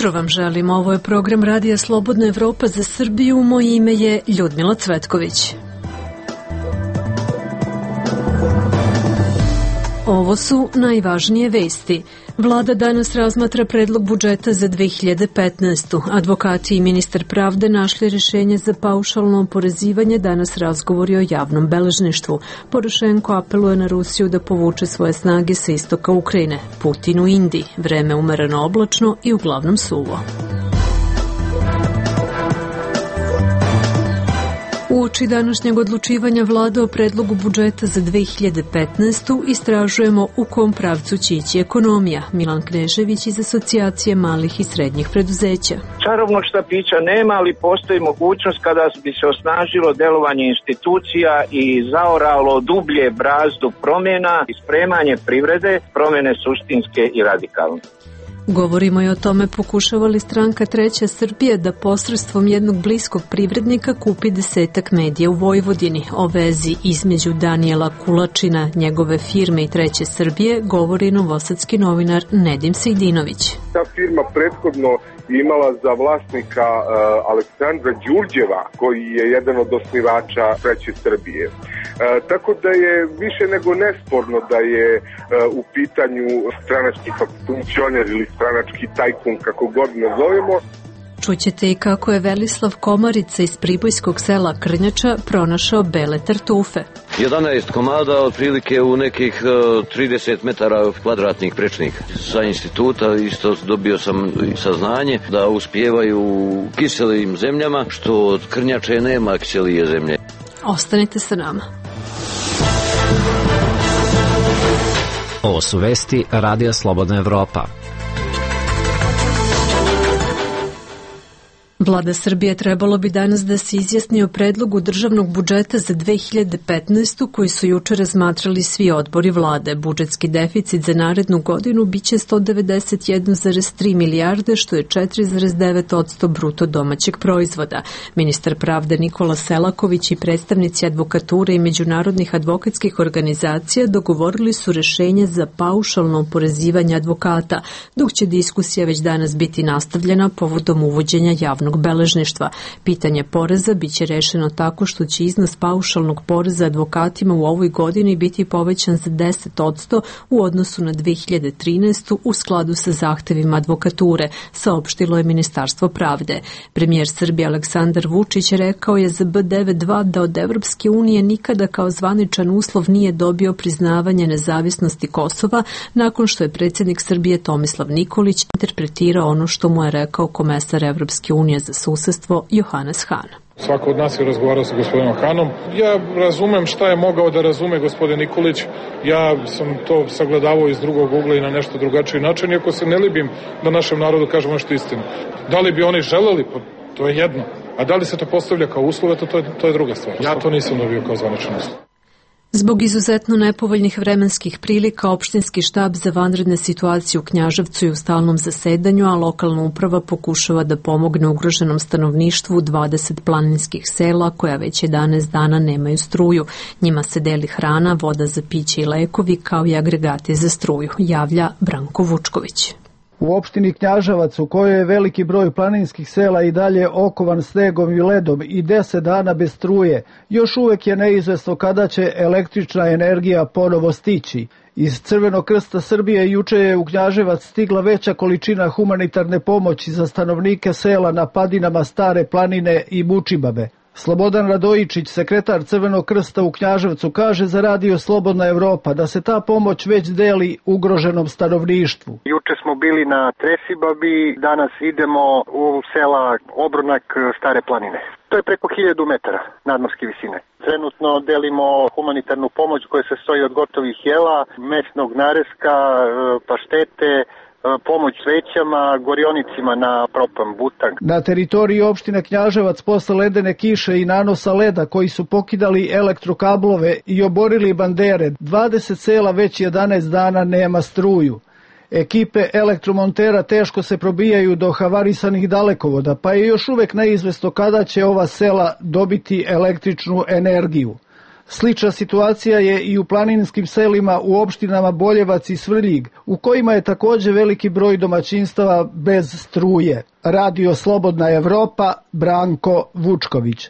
jutro vam želim. Ovo je program Radija Slobodna Evropa za Srbiju. Moje ime je Ljudmila Cvetković. Ovo su najvažnije vesti. Vlada danas razmatra predlog budžeta za 2015. Advokati i ministar pravde našli rješenje za paušalno oporezivanje, danas razgovori o javnom beležništvu. Porošenko apeluje na Rusiju da povuče svoje snage sa istoka Ukrajine. Putin u Indiji. Vreme umereno oblačno i uglavnom suvo. Uoči današnjeg odlučivanja vlade o predlogu budžeta za 2015. istražujemo u kom pravcu će ići ekonomija. Milan Knežević iz Asocijacije malih i srednjih preduzeća. Čarobnog štapića nema, ali postoji mogućnost kada bi se osnažilo delovanje institucija i zaoralo dublje brazdu promjena i spremanje privrede, promjene suštinske i radikalne. Govorimo i o tome pokušava li stranka Treća Srbija da posredstvom jednog bliskog privrednika kupi 10 medija u Vojvodini. O vezi između Danijela Kulačina, njegove firme i Treće Srbije govori novosadski novinar Nedim Sejdinović. Ta firma prethodno imala za vlasnika Aleksandra Đurđeva, koji je jedan od osnivača Treće Srbije. Tako da je više nego nesporno da je u pitanju stranački funkcioner ili stranački tajkun, kako god nazovemo. Čućete i kako je Velislav Komarica iz pribojskog sela Krnjača pronašao bele tartufe. 11 komada, otprilike u nekih 30 metara kvadratnih prečnika. Sa instituta isto dobio sam saznanje da uspijevaju u kiselim zemljama, što od Krnjače nema kiselije zemlje. Ostanite sa nama. Ovo su vesti Radija Slobodna Evropa. Vlada Srbije trebalo bi danas da se izjasni o predlogu državnog budžeta za 2015. koji su juče razmatrali svi odbori vlade. Budžetski deficit za narednu godinu biće 191,3 milijarde, što je 4,9% bruto domaćeg proizvoda. Ministar pravde Nikola Selaković i predstavnici advokature i međunarodnih advokatskih organizacija dogovorili su rešenje za paušalno oporezivanje advokata, dok će diskusija već danas biti nastavljena povodom uvođenja javnog beležništva. Pitanje poreza biće rešeno tako što će iznos paušalnog poreza advokatima u ovoj godini biti povećan za 10% u odnosu na 2013. u skladu sa zahtevima advokature, saopštilo je Ministarstvo pravde. Premijer Srbije Aleksandar Vučić rekao je za B92 da od Evropske unije nikada kao zvaničan uslov nije dobio priznavanje nezavisnosti Kosova, nakon što je predsjednik Srbije Tomislav Nikolić interpretirao ono što mu je rekao komesar Evropske unije za susedstvo Johannes Hahn. Svako od nas je razgovarao sa gospodinom Hanom. Ja razumem šta je mogao da razume gospodin Nikolić. Ja sam to sagledavao iz drugog ugla i na nešto drugačiji način, iako se ne libim da našem narodu kažemo nešto istinu. Da li bi oni želeli? Pa to je jedno. A da li se to postavlja kao uslove, to je druga stvar. Ja to nisam dobio kao zvaničan uslov. Zbog izuzetno nepovoljnih vremenskih prilika, opštinski štab za vanredne situacije u Knjaževcu je u stalnom zasedanju, a lokalna uprava pokušava da pomogne ugroženom stanovništvu u 20 planinskih sela koja već 11 dana nemaju struju. Njima se deli hrana, voda za piće i lekovi, kao i agregati za struju, javlja Branko Vučković. U opštini Knjaževac, u kojoj je veliki broj planinskih sela i dalje okovan snegom i ledom i 10 dana bez struje, još uvek je neizvesno kada će električna energija ponovo stići. Iz Crvenog krsta Srbije juče je u Knjaževac stigla veća količina humanitarne pomoći za stanovnike sela na padinama Stare planine i Mučibabe. Slobodan Radojičić, sekretar Crvenog krsta u Knjaževcu, kaže za Radio Slobodna Evropa da se ta pomoć već deli ugroženom stanovništvu. Juče smo bili na Tresibabi, danas idemo u sela Obronak Stare planine. To je preko 1000 metara nadmorske visine. Trenutno delimo humanitarnu pomoć koja se stoji od gotovih jela, mesnog nareska, paštete, pomoć svećama, gorionicima na propan butang. Na teritoriji opštine Knjaževac posle ledene kiše i nanosa leda koji su pokidali elektrokablove i oborili bandere, 20 sela već 11 dana nema struju. Ekipe elektromontera teško se probijaju do havarisanih dalekovoda, pa je još uvek neizvesno kada će ova sela dobiti električnu energiju. Slična situacija je i u planinskim selima u opštinama Boljevac i Svrljig, u kojima je također veliki broj domaćinstava bez struje. Radio Slobodna Evropa, Branko Vučković.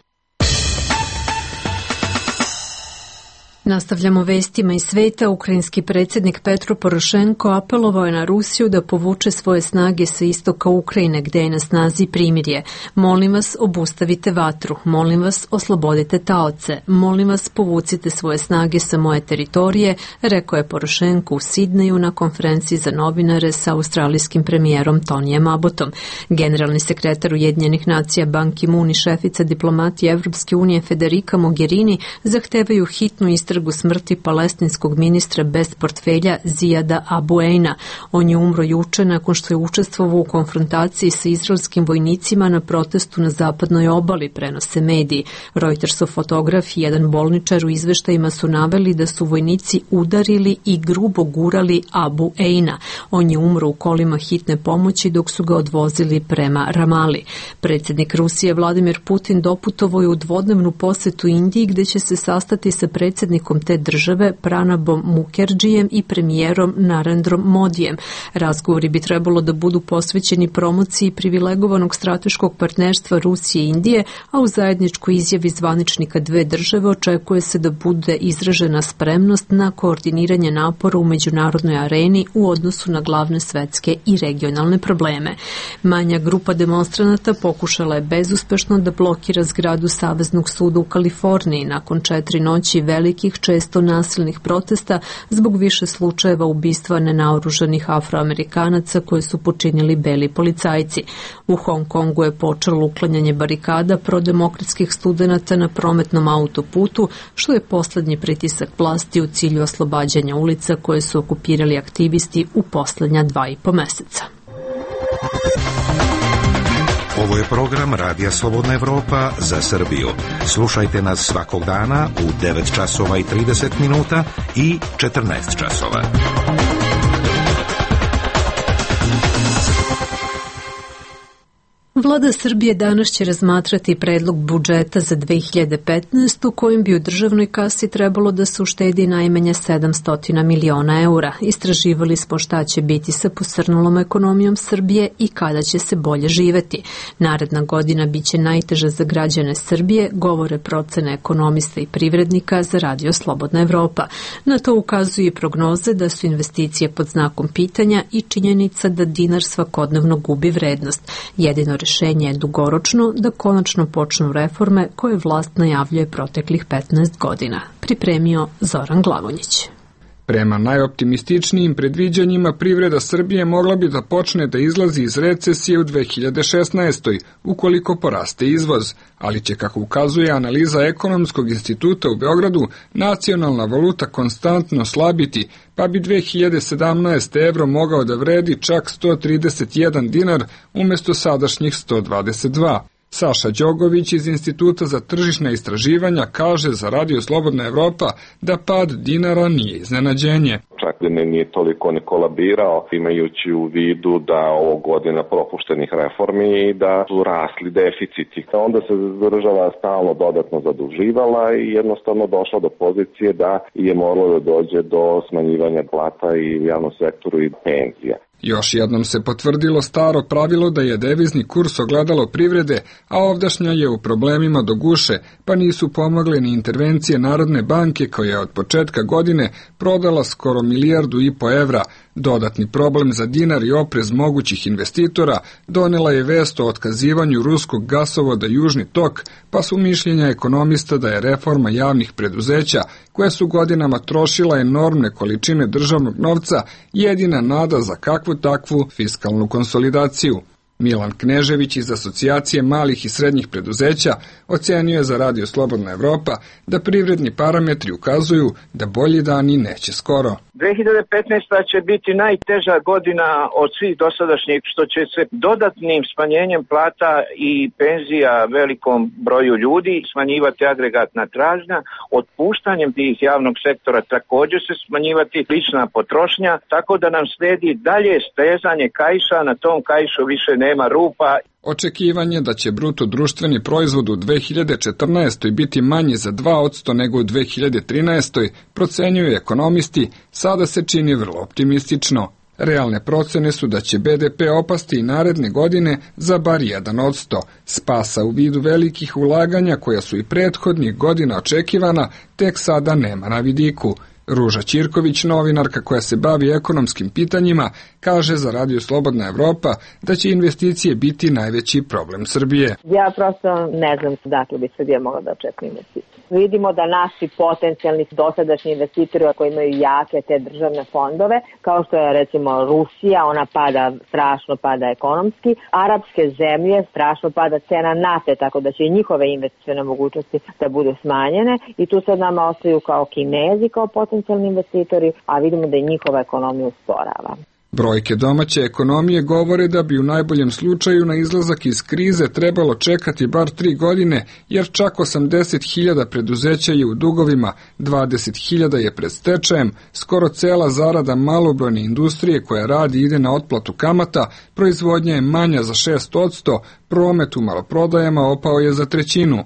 Nastavljamo vestima iz sveta. Ukrajinski predsjednik Petro Porošenko apelovao je na Rusiju da povuče svoje snage sa istoka Ukrajine, gdje je na snazi primirje. Molim vas, obustavite vatru. Molim vas, oslobodite taoce. Molim vas, povucite svoje snage sa moje teritorije, rekao je Porošenko u Sidneju na konferenciji za novinare sa australijskim premijerom Tonijem Abbotom. Generalni sekretar Ujedinjenih nacija Ban Ki-moon i šefica diplomatije Evropske unije Federica Mogherini zahtevaju hitnu istragu smrti palestinskog ministra bez portfelja Zijada Abu Eina. On je umro juče nakon što je učestvovao u konfrontaciji sa izraelskim vojnicima na protestu na zapadnoj obali, prenose mediji. Reutersov fotograf i jedan bolničar u izveštajima su naveli da su vojnici udarili i grubo gurali Abu Eina. On je umro u kolima hitne pomoći dok su ga odvozili prema Ramali. Predsjednik Rusije Vladimir Putin doputovao je u dvodnevnu posetu Indiji, gdje će se sastati sa predsjednikom te države Pranabom Mukherjijem i premijerom Narendrom Modijem. Razgovori bi trebalo da budu posvećeni promociji privilegovanog strateškog partnerstva Rusije i Indije, a u zajedničkoj izjavi zvaničnika dve države očekuje se da bude izražena spremnost na koordiniranje napora u međunarodnoj areni u odnosu na glavne svetske i regionalne probleme. Manja grupa demonstranata pokušala je bezuspešno da blokira zgradu Saveznog suda u Kaliforniji nakon 4 noći velikih, često nasilnih protesta zbog više slučajeva ubistva nenaoružanih Afroamerikanaca koje su počinili beli policajci. U Hong Kongu je počelo uklanjanje barikada prodemokratskih studenata na prometnom autoputu, što je posljednji pritisak vlasti u cilju oslobađanja ulica koje su okupirali aktivisti u posljednja 2,5 mjeseca. Ovo je program Radija Slobodna Evropa za Srbiju. Slušajte nas svakog dana u 9 časova i 30 minuta i 14 časova. Vlada Srbije danas će razmatrati predlog budžeta za 2015. kojim bi u državnoj kasi trebalo da se uštedi najmanje 700 miliona eura. Istraživali smo šta će biti sa posrnulom ekonomijom Srbije i kada će se bolje živeti. Naredna godina biće najteža za građane Srbije, govore procene ekonomista i privrednika za Radio Slobodna Evropa. Na to ukazuju i prognoze da su investicije pod znakom pitanja i činjenica da dinar svakodnevno gubi vrednost. Jedino rješenje je dugoročno da konačno počnu reforme koje vlast najavljuje proteklih 15 godina. Pripremio Zoran Glavonjić. Prema najoptimističnijim predviđanjima privreda Srbije mogla bi da počne da izlazi iz recesije u 2016. ukoliko poraste izvoz, ali će, kako ukazuje analiza Ekonomskog instituta u Beogradu, nacionalna valuta konstantno slabiti, pa bi 2017. evro mogao da vredi čak 131 dinar umjesto sadašnjih 122. Saša Đogović iz Instituta za tržišna istraživanja kaže za Radio Slobodna Evropa da pad dinara nije iznenađenje. Čak da nije toliko ni kolabirao, imajući u vidu da ovo godina propuštenih reformi i da su rasli deficiti. Onda se država stalno dodatno zaduživala i jednostavno došla do pozicije da je moralo da dođe do smanjivanja plata i u javnom sektoru i penzija. Još jednom se potvrdilo staro pravilo da je devizni kurs ogledalo privrede, a ovdašnja je u problemima do guše, pa nisu pomogle ni intervencije Narodne banke koja je od početka godine prodala skoro 1,5 milijardu evra. Dodatni problem za dinar i oprez mogućih investitora donela je vest o otkazivanju ruskog gasovoda Južni tok, pa su mišljenja ekonomista da je reforma javnih preduzeća, koje su godinama trošila enormne količine državnog novca, jedina nada za kakvu takvu fiskalnu konsolidaciju. Milan Knežević iz Asocijacije malih i srednjih preduzeća ocenio je za Radio Slobodna Evropa da privredni parametri ukazuju da bolji dani neće skoro. 2015. će biti najteža godina od svih dosadašnjih, što će se dodatnim smanjenjem plata i penzija velikom broju ljudi smanjivati agregatna tražnja, otpuštanjem tih javnog sektora također se smanjivati lična potrošnja, tako da nam sledi dalje stezanje kaiša, na tom kaišu više nema rupa. Očekivanje da će bruto društveni proizvod u 2014. biti manji za 2% nego u 2013. procenjuju ekonomisti, sada se čini vrlo optimistično. Realne procene su da će BDP opasti i naredne godine za bar 1%. Spasa u vidu velikih ulaganja koja su i prethodnih godina očekivana, tek sada nema na vidiku. Ruža Ćirković, novinarka koja se bavi ekonomskim pitanjima, kaže za Radio Slobodna Evropa da će investicije biti najveći problem Srbije. Ja prosto ne znam dakle bi Srbija mogla da očekuje investicije. Vidimo da naši potencijalni dosadašnji investitori koji imaju jake te državne fondove, kao što je recimo Rusija, ona strašno pada ekonomski, arapske zemlje strašno pada cena nafte, tako da će i njihove investicione mogućnosti da budu smanjene i tu sad nama ostaju kao Kinezi, kao potencijalni investitori, a vidimo da i njihova ekonomija usporava. Brojke domaće ekonomije govore da bi u najboljem slučaju na izlazak iz krize trebalo čekati bar 3 godine, jer čak 80.000 preduzeća je u dugovima, 20.000 je pred stečajem, skoro cela zarada malobrojne industrije koja radi ide na otplatu kamata, proizvodnja je manja za 6%, promet u maloprodajama opao je za 1/3.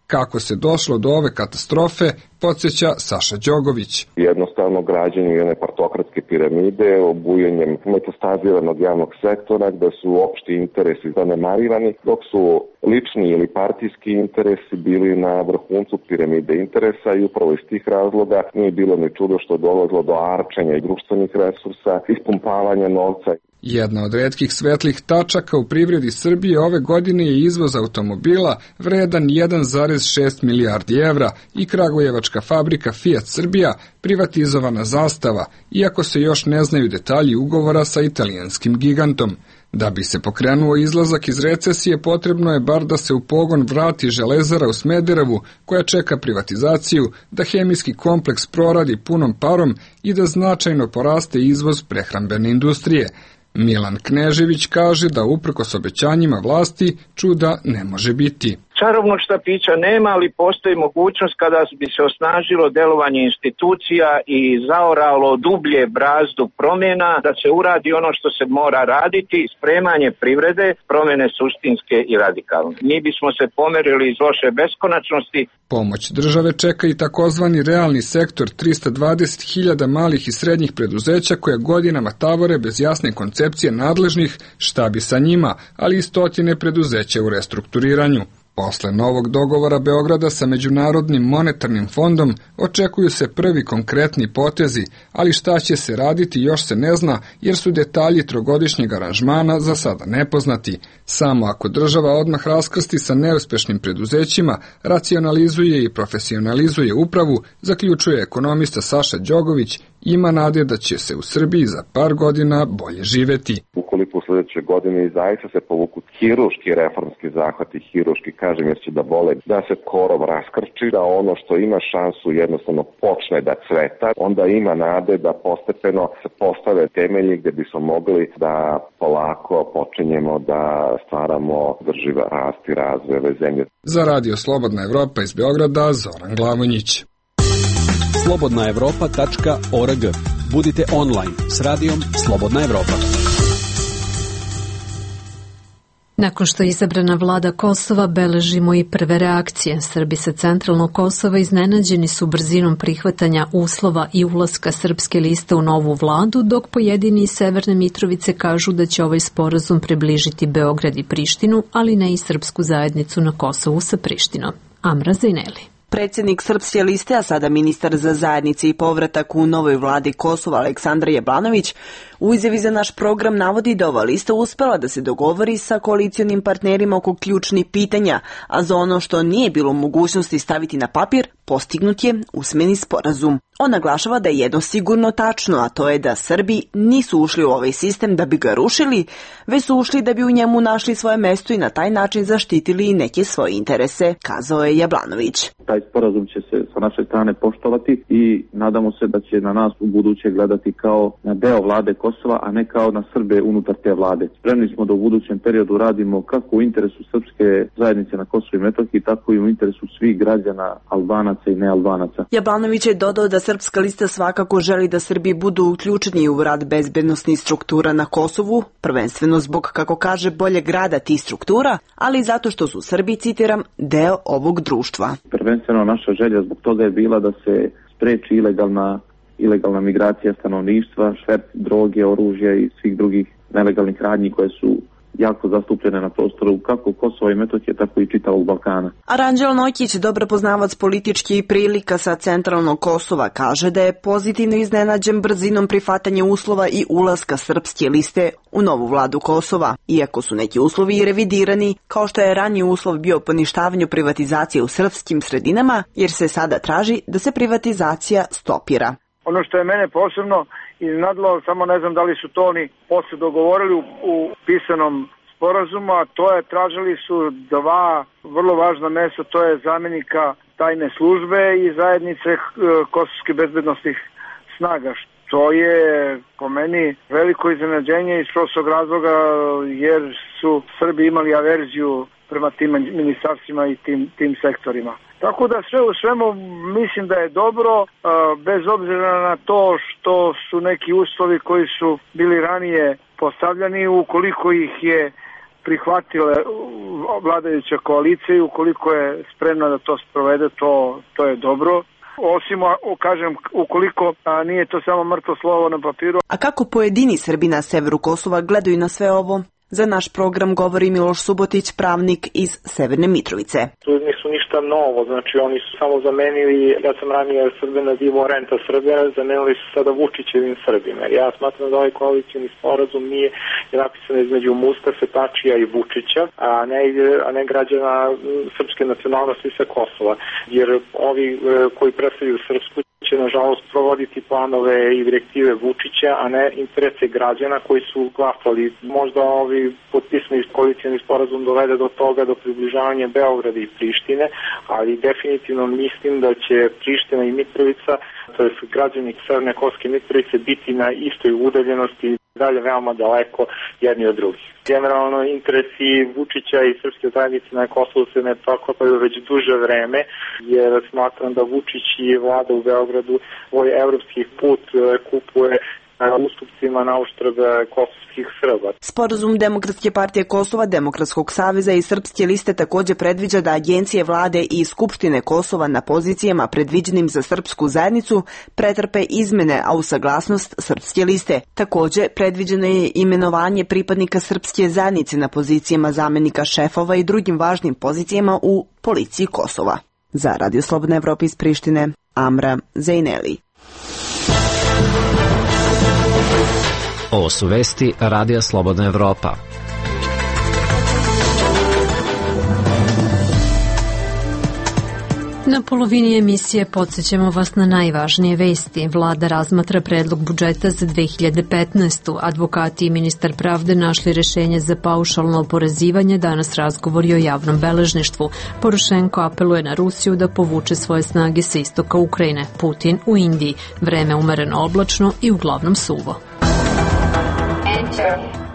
Kako se došlo do ove katastrofe, podsjeća Saša Đogović. Jednostavno građenje jedne partokratske piramide, obujanjem metastaziranog javnog sektora, gde su opšti interesi zanemarivani, dok su lični ili partijski interesi bili na vrhuncu piramide interesa i upravo iz tih razloga nije bilo ni čudo što je dolazilo do arčenja i društvenih resursa, ispumpavanja novca. Jedna od retkih svetlih tačaka u privredi Srbije ove godine je izvoz automobila vredan 1,6 milijardi evra i kragujevačka fabrika Fiat Srbija privatizovana Zastava, iako se još ne znaju detalji ugovora sa italijanskim gigantom. Da bi se pokrenuo izlazak iz recesije, potrebno je bar da se u pogon vrati Železara u Smederevu, koja čeka privatizaciju, da hemijski kompleks proradi punom parom i da značajno poraste izvoz prehrambene industrije. Milan Knežević kaže da uprkos obećanjima vlasti čuda ne može biti. Čarobnog štapića nema, ali postoji mogućnost kada bi se osnažilo delovanje institucija i zaoralo dublje brazdu promjena, da se uradi ono što se mora raditi, spremanje privrede, promjene suštinske i radikalne. Mi bismo se pomerili iz loše beskonačnosti. Pomoć države čeka i takozvani realni sektor, 320.000 malih i srednjih preduzeća koja godinama tavore bez jasne koncepcije nadležnih šta bi sa njima, ali i stotine preduzeća u restrukturiranju. Posle novog dogovora Beograda sa Međunarodnim monetarnim fondom očekuju se prvi konkretni potezi, ali šta će se raditi još se ne zna jer su detalji trogodišnjeg aranžmana za sada nepoznati. Samo ako država odmah raskrsti sa neuspešnim preduzećima, racionalizuje i profesionalizuje upravu, zaključuje ekonomista Saša Đogović, ima nade da će se u Srbiji za par godina bolje živeti. Ukoliko u sledeće godine i zaista se povuku hiruški reformski zahvati, hiruški kažem jer će da bole, da se korov raskrči, da ono što ima šansu jednostavno počne da cveta, onda ima nade da postepeno se postave temelji gde bismo mogli da polako počinjemo da stvaramo drživ rast i razvoj ove zemlje. Za Radio Slobodna Evropa iz Beograda, Zoran Glavonjić. slobodnaevropa.org. Budite online s radijom Slobodna Evropa. Nakon što je izabrana vlada Kosova, beležimo i prve reakcije. Srbi sa centralnog Kosova iznenađeni su brzinom prihvatanja uslova i ulaska srpske liste u novu vladu, dok pojedini iz Severne Mitrovice kažu da će ovaj sporazum približiti Beograd i Prištinu, ali ne i srpsku zajednicu na Kosovu sa Prištinom. Amra Zajneli. Predsjednik Srpske liste, a sada ministar za zajednice i povratak u novoj vladi Kosova Aleksandar Jablanović, u izjavi za naš program navodi da ova lista uspela da se dogovori sa koalicionim partnerima oko ključnih pitanja, a za ono što nije bilo u mogućnosti staviti na papir, postignut je usmeni sporazum. On naglašava da je jedno sigurno tačno, a to je da Srbi nisu ušli u ovaj sistem da bi ga rušili, već su ušli da bi u njemu našli svoje mesto i na taj način zaštitili neke svoje interese, kazao je Jablanović. Taj sporazum će se sa naše strane poštovati i nadamo se da će na nas u buduće gledati kao na deo vlade Kosova Kosova, a ne kao na Srbe unutar te vlade. Spremni smo da u budućem periodu radimo kako u interesu srpske zajednice na Kosovu i Metohiji, tako i u interesu svih građana, Albanaca i nealbanaca. Jablanović je dodao da Srpska lista svakako želi da Srbi budu uključeni u rad bezbednosnih struktura na Kosovu, prvenstveno zbog, kako kaže, boljeg rada tih struktura, ali i zato što su Srbi, citiram, deo ovog društva. Prvenstveno naša želja zbog toga je bila da se spreči ilegalna migracija stanovništva, šverc droge, oružja i svih drugih nelegalnih radnji koje su jako zastupljene na prostoru kako Kosova i Metohije, tako i čitavog Balkana. Aranđel Nojkić, dobar poznavac političkih prilika sa centralnog Kosova, kaže da je pozitivno iznenađen brzinom prihvatanja uslova i ulaska Srpske liste u novu vladu Kosova, iako su neki uslovi i revidirani, kao što je raniji uslov bio poništavanju privatizacije u srpskim sredinama, jer se sada traži da se privatizacija stopira. Ono što je mene posebno iznadlo, samo ne znam da li su to oni posle dogovorili u pisanom sporazumu, a to je, tražili su dva vrlo važna mesta, to je zamjenika tajne službe i zajednice kosovskih bezbednostnih snaga, što je po meni veliko iznenađenje iz prostog razloga jer su Srbi imali averziju prema tim ministarstvima i tim sektorima. Tako da sve u svemu mislim da je dobro, bez obzira na to što su neki uslovi koji su bili ranije postavljani, ukoliko ih je prihvatila vladajuća koalicija i ukoliko je spremna da to sprovede, to je dobro. Osim, kažem, ukoliko nije to samo mrtvo slovo na papiru. A kako pojedini Srbi na severu Kosova gledaju na sve ovo? Za naš program govori Miloš Subotić, pravnik iz Severne Mitrovice. Tu nisu ništa novo, znači oni su samo zamenili, ja sam ranije Srbe nazivao renta Srbe, zamenili su sada Vučićevim Srbima. Ja smatram da ovaj koalicijni sporazum nije napisan između Mustafe, Tačija i Vučića, a ne građana srpske nacionalnosti sa Kosova. Jer ovi koji predstavljaju Srpsku će nažalost provoditi planove i direktive Vučića, a ne interese građana koji su glasali. Možda ovi potpisani koalicijni sporazum dovede do toga, do približavanja Beograda i Prištine, ali definitivno mislim da će Priština i Mitrovica, to je građani Severne Kosovske Mitrovice, biti na istoj udaljenosti, dalje veoma daleko jedni od drugih. Generalno interesi Vučića i srpske zajednice na Kosovu se ne preklapaju već duže vreme, jer smatram da Vučić i vlada u Beogradu svoj evropski put kupuje ustupcima na uštrb kosovskih Srba. Sporazum Demokratske partije Kosova, Demokratskog saveza i Srpske liste također predviđa da agencije vlade i Skupštine Kosova na pozicijama predviđenim za srpsku zajednicu pretrpe izmene, a u saglasnost Srpske liste. Također predviđeno je imenovanje pripadnika srpske zajednice na pozicijama zamjenika šefova i drugim važnim pozicijama u policiji Kosova. Za Radio Slobodna Evropa iz Prištine, Amra Zejneli. Ovo su vesti Radija Slobodna Evropa. Na polovini emisije podsjećamo vas na najvažnije vesti. Vlada razmatra predlog budžeta za 2015. Advokati i ministar pravde našli rešenje za paušalno oporezivanje, danas razgovori o javnom beležništvu. Porošenko apeluje na Rusiju da povuče svoje snage sa istoka Ukrajine. Putin u Indiji. Vreme umereno oblačno i uglavnom suvo.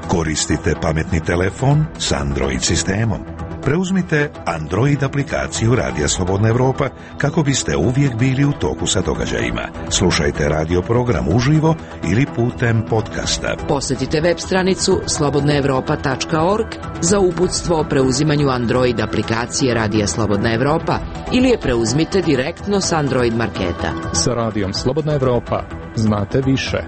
Koristite pametni telefon s Android sistemom. Preuzmite Android aplikaciju Radija Slobodna Evropa kako biste uvijek bili u toku sa događajima. Slušajte radio program uživo ili putem podcasta. Posjetite web stranicu slobodnaevropa.org za uputstvo o preuzimanju Android aplikacije Radija Slobodna Evropa ili je preuzmite direktno s Android marketa. Sa Radijom Slobodna Evropa znate više.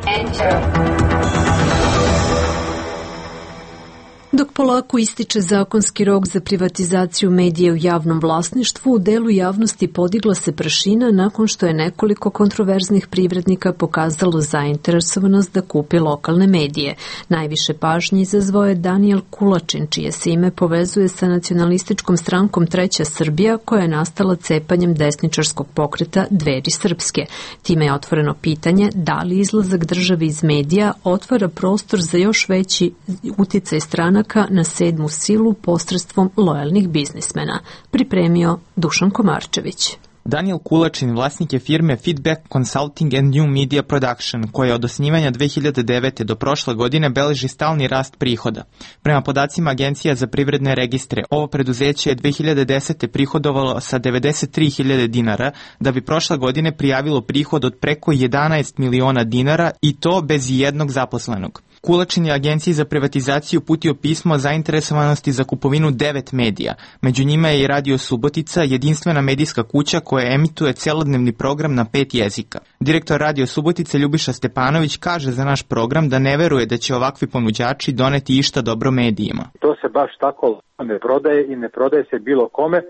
Dok polako ističe zakonski rok za privatizaciju medija u javnom vlasništvu, u delu javnosti podigla se prašina nakon što je nekoliko kontroverznih privrednika pokazalo zainteresovanost da kupi lokalne medije. Najviše pažnje izazvao je Danijel Kulačin, čije se ime povezuje sa nacionalističkom strankom Treća Srbija, koja je nastala cepanjem desničarskog pokreta Dveri srpske. Time je otvoreno pitanje da li izlazak države iz medija otvara prostor za još veći uticaj stranaka na sedmu silu posredstvom lojalnih biznismena, pripremio Dušan Komarčević. Daniel Kulačin vlasnik je firme Feedback Consulting and New Media Production, koja od osnivanja 2009. do prošle godine beleži stalni rast prihoda. Prema podacima Agencija za privredne registre, ovo preduzeće je 2010. prihodovalo sa 93.000 dinara, da bi prošle godine prijavilo prihod od preko 11 miliona dinara i to bez jednog zaposlenog. Kulačin je Agenciji za privatizaciju uputio pismo o zainteresovanosti za kupovinu 9 medija. Među njima je i Radio Subotica, jedinstvena medijska kuća koja emituje celodnevni program na 5 jezika. Direktor Radio Subotice Ljubiša Stepanović kaže za naš program da ne veruje da će ovakvi ponuđači doneti išta dobro medijima. To se baš tako ne prodaje i ne prodaje se bilo kome,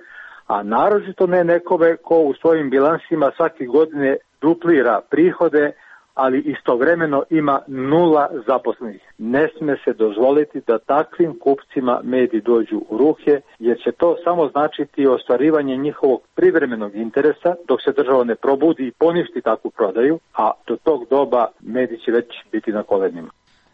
a naročito ne nekome ko u svojim bilansima svake godine duplira prihode, ali istovremeno ima 0 zaposlenih. Ne sme se dozvoliti da takvim kupcima mediji dođu u ruke, jer će to samo značiti ostvarivanje njihovog privremenog interesa, dok se država ne probudi i poništi takvu prodaju, a do tog doba mediji će već biti na kolenima.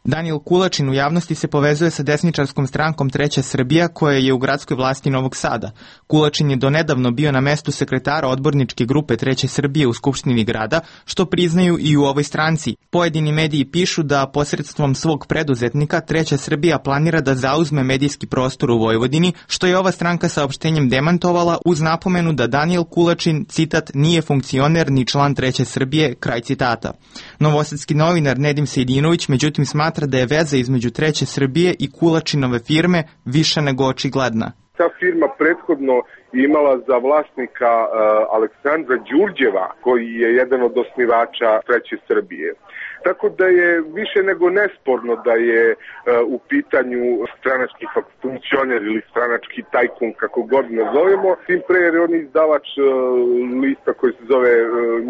Daniel Kulačin u javnosti se povezuje sa desničarskom strankom Treća Srbija, koja je u gradskoj vlasti Novog Sada. Kulačin je donedavno bio na mestu sekretara odborničke grupe Treće Srbije u Skupštini grada, što priznaju i u ovoj stranci. Pojedini mediji pišu da posredstvom svog preduzetnika Treća Srbija planira da zauzme medijski prostor u Vojvodini, što je ova stranka saopštenjem demantovala uz napomenu da Daniel Kulačin, citat, nije funkcioner ni član Treće Srbije, kraj citata. Novosadski novinar Nedim Sejdinović međutim smatra da je veza između Treće Srbije i Kulačinove firme više nego očigledna. Ta firma prethodno imala za vlasnika Aleksandra Đurđeva, koji je jedan od osnivača Treće Srbije. Tako da je više nego nesporno da je u pitanju stranački funkcioner ili stranački tajkun, kako god nazovemo, tim pre jer je on izdavač lista koji se zove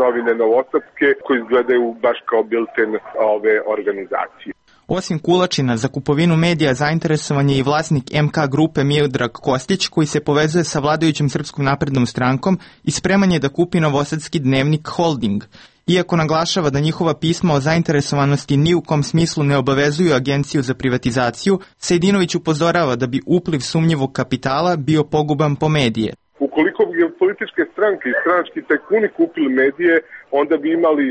Novine Novosadske, koji izgledaju baš kao bilten ove organizacije. Osim Kulačina, za kupovinu medija zainteresovan je i vlasnik MK grupe Miodrag Kostić, koji se povezuje sa vladajućom Srpskom naprednom strankom i spreman je da kupi novosadski dnevnik Holding. Iako naglašava da njihova pisma o zainteresovanosti ni u kom smislu ne obavezuju Agenciju za privatizaciju, Sejdinović upozorava da bi upliv sumnjivog kapitala bio poguban po medije. Ukoliko bi političke stranke i stranački tajkuni kupili medije, onda bi imali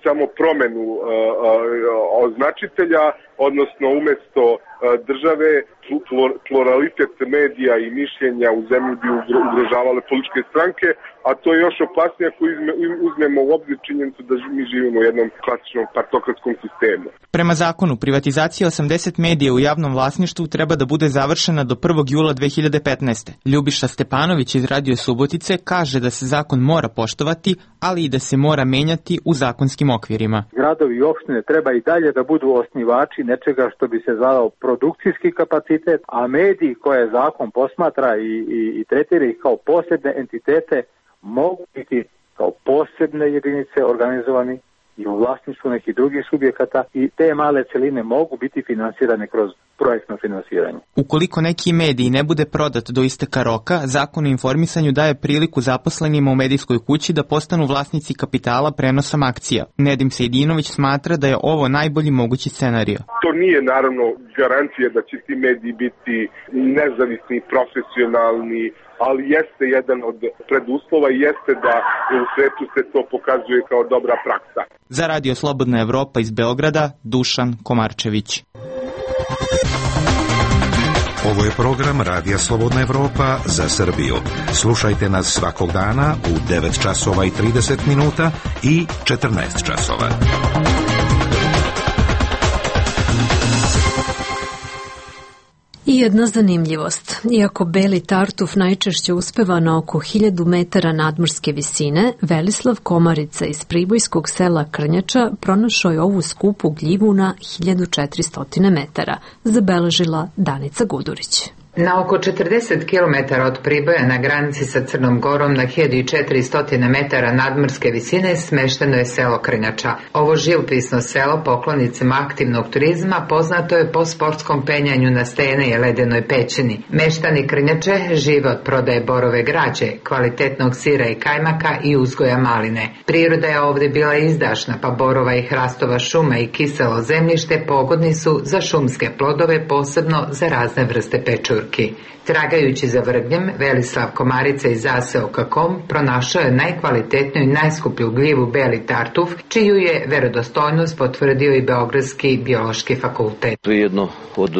samo promenu označitelja, odnosno umesto države pluralitet medija i mišljenja u zemlji bi ugrožavale političke stranke, a to je još opasnije ako uzmemo u obzir činjenicu da mi živimo u jednom klasičnom partokratskom sistemu. Prema zakonu, privatizacija 80 medija u javnom vlasništvu treba da bude završena do 1. jula 2015. Ljubiša Stepanović iz Radio Subotice kaže da se zakon mora poštovati, ali i da se mora menjati u zakonskim okvirima. Gradovi i opštine treba i dalje da budu osnivači nečega što bi se zvao produkcijski kapacitet, a mediji koje zakon posmatra i tretira ih kao posebne entitete mogu biti kao posebne jedinice organizovani i u vlasništvu nekih drugih subjekata i te male celine mogu biti finansirane kroz projektno finansiranje. Ukoliko neki medij ne bude prodat do isteka roka, Zakon o informisanju daje priliku zaposlenima u medijskoj kući da postanu vlasnici kapitala prenosom akcija. Nedim Sejdinović smatra da je ovo najbolji mogući scenario. To nije naravno garancija da će ti mediji biti nezavisni, profesionalni, ali jeste jedan od preduslova i jeste da u svetu se to pokazuje kao dobra praksa. Za Radio Slobodna Evropa iz Beograda, Dušan Komarčević. Ovo je program Radija Slobodna Evropa za Srbiju. Slušajte nas svakog dana u 9 časova i 30 minuta i 14 časova. I jedna zanimljivost. Iako beli tartuf najčešće uspeva na oko 1000 metara nadmorske visine, Velislav Komarica iz pribojskog sela Krnjača pronašao je ovu skupu gljivu na 1400 metara, zabeležila Danica Gudurić. Na oko 40 km od Priboja na granici sa Crnom Gorom na 1400 metara nadmorske visine smešteno je selo Krnjača. Ovo živopisno selo poklonicima aktivnog turizma poznato je po sportskom penjanju na stene i ledenoj pećini. Meštani Krnjače žive od prodaje borove građe, kvalitetnog sira i kajmaka i uzgoja maline. Priroda je ovdje bila izdašna, pa borova i hrastova šuma i kiselo zemljište pogodni su za šumske plodove, posebno za razne vrste pečurke. Turki. Tragajući za vrgnjem, Velislav Komarica iz ASEO.com pronašao je najkvalitetniju i najskuplju gljivu beli tartuf, čiju je verodostojnost potvrdio i Beogradski biološki fakultet. To je jedno od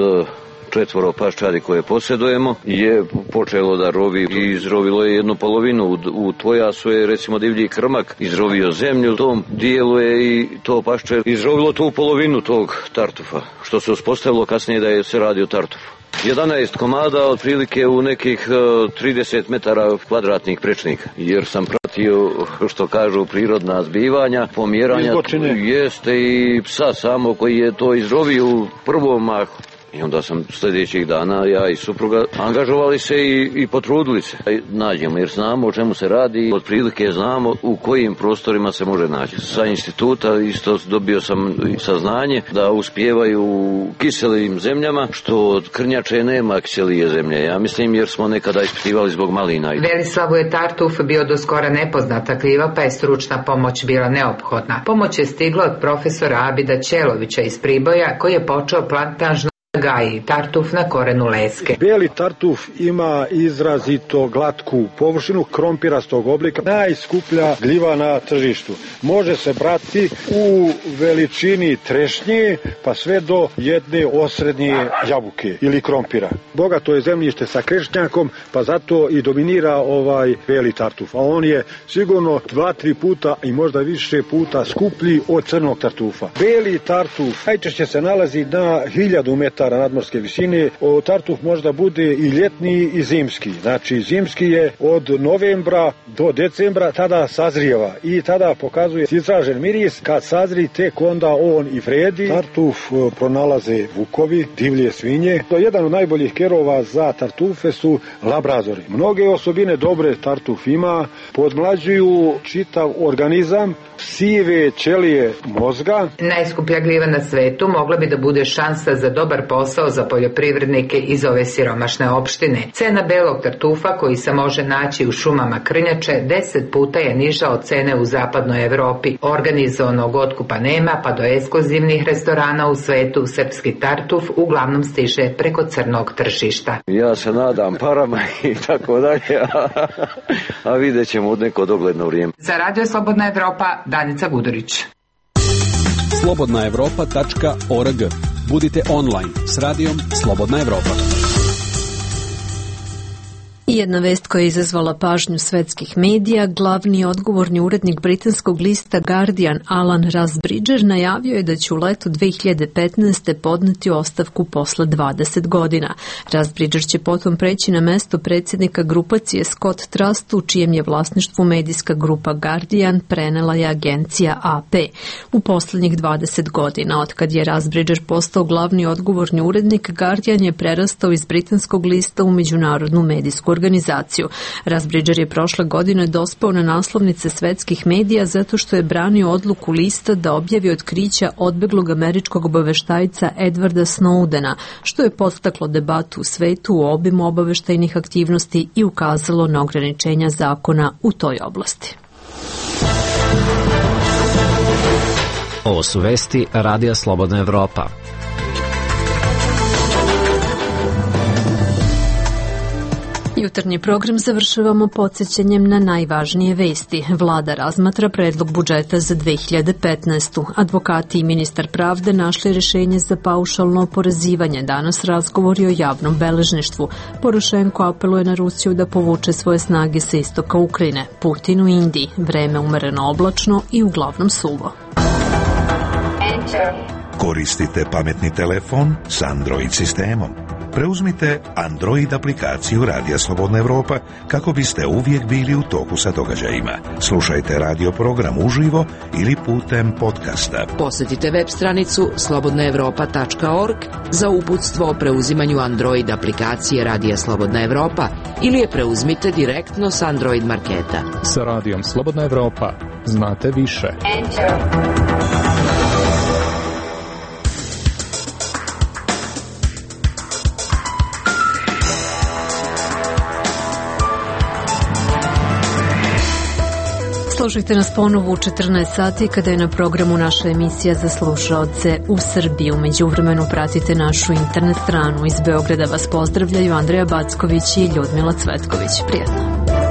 4 paščadi koje posjedujemo je počelo da rovi i izrovilo je jednu polovinu. U Tvojasu je recimo divlji krmak izrovio zemlju, u tom dijelu je i to pašče izrovilo tu polovinu tog tartufa, što se uspostavilo kasnije da je se radi o tartufu. 11 komada otprilike u nekih 30 metara kvadratnih prečnika, jer sam pratio, što kažu, prirodna zbivanja, pomjeranja, jeste i psa samo koji je to izrovio u prvom mahu. I onda sam sljedećih dana, ja i supruga, angažovali se i potrudili se. Nađemo, jer znamo o čemu se radi, otprilike znamo u kojim prostorima se može naći. Sa instituta isto dobio sam saznanje da uspijevaju u kiselim zemljama, što od krnjače nema kiselije zemlje. Ja mislim, jer smo nekada ispitivali zbog malina. Velislavu je tartuf bio do skora nepoznata gljiva, pa je stručna pomoć bila neophodna. Pomoć je stigla od profesora Abida Ćelovića iz Priboja, koji je počeo plantaž gaji tartuf na korenu leske. Beli tartuf ima izrazito glatku površinu, krompirastog oblika, najskuplja gljiva na tržištu. Može se brati u veličini trešnje pa sve do jedne osrednje jabuke ili krompira. Bogato je zemljište sa krešnjakom, pa zato i dominira ovaj beli tartuf. A on je sigurno 2-3 puta i možda više puta skuplji od crnog tartufa. Beli tartuf najčešće se nalazi na 1000 metara nadmorske visine. Tartuf možda bude i ljetni i zimski. Znači zimski je od novembra do decembra, tada sazrijeva i tada pokazuje izražen miris. Kad sazri, tek onda on i vredi. Tartuf pronalaze vukovi, divlje svinje. Jedan od najboljih kerova za tartufe su labradori. Mnoge osobine dobre tartuf ima, podmlađuju čitav organizam, sive ćelije mozga. Najskuplja gljiva na svetu mogla bi da bude šansa za dobar posao za poljoprivrednike iz ove siromašne opštine. Cena belog tartufa, koji se može naći u šumama krnjače, 10 puta je niža od cene u zapadnoj Evropi. Organizovanog otkupa nema, pa do ekskluzivnih restorana u svetu srpski tartuf uglavnom stiže preko crnog tržišta. Ja se nadam parama i tako dalje, a vidjet ćemo od neko dogledno vrijeme. Za Radio Slobodna Evropa, Danica Gudurić. slobodnaevropa.org. Budite online s radijom Slobodna Evropa. I jedna vest koja je izazvala pažnju svetskih medija, glavni odgovorni urednik britanskog lista Guardian Alan Rusbridger najavio je da će u letu 2015. podneti ostavku posle 20 godina. Rusbridger će potom preći na mesto predsjednika grupacije Scott Trust, u čijem je vlasništvu medijska grupa Guardian, prenela je agencija AP. U poslednjih 20 godina, otkad je Rusbridger postao glavni odgovorni urednik, Guardian je prerastao iz britanskog lista u međunarodnu medijsku organizaciju. Rusbridger je prošle godine dospao na naslovnice svetskih medija zato što je branio odluku lista da objavi otkrića odbeglog američkog obaveštajca Edwarda Snowdena, što je podstaklo debatu u svetu o obimu obaveštajnih aktivnosti i ukazalo na ograničenja zakona u toj oblasti. Ovo su vesti Radija Slobodna Evropa. Jutarnji program završavamo podsjećanjem na najvažnije vesti. Vlada razmatra predlog budžeta za 2015. Advokati i ministar pravde našli rješenje za paušalno oporezivanje. Danas razgovori o javnom beležništvu. Porošenko apeluje na Rusiju da povuče svoje snage sa istoka Ukrajine. Putin u Indiji. Vreme umereno oblačno i uglavnom suvo. Koristite pametni telefon s Android sistemom. Preuzmite Android aplikaciju Radija Slobodna Evropa kako biste uvijek bili u toku sa događajima. Slušajte radio program uživo ili putem podcasta. Posjetite web stranicu slobodnaevropa.org za uputstvo o preuzimanju Android aplikacije Radija Slobodna Evropa ili je preuzmite direktno s Android marketa. Sa Radijom Slobodna Evropa znate više. Slušajte nas ponovo u 14 sati kada je na programu naša emisija za slušaoce u Srbiji. U međuvremenu pratite našu internet stranu. Iz Beograda vas pozdravljaju Andreja Backović i Ljudmila Cvetković. Prijetno.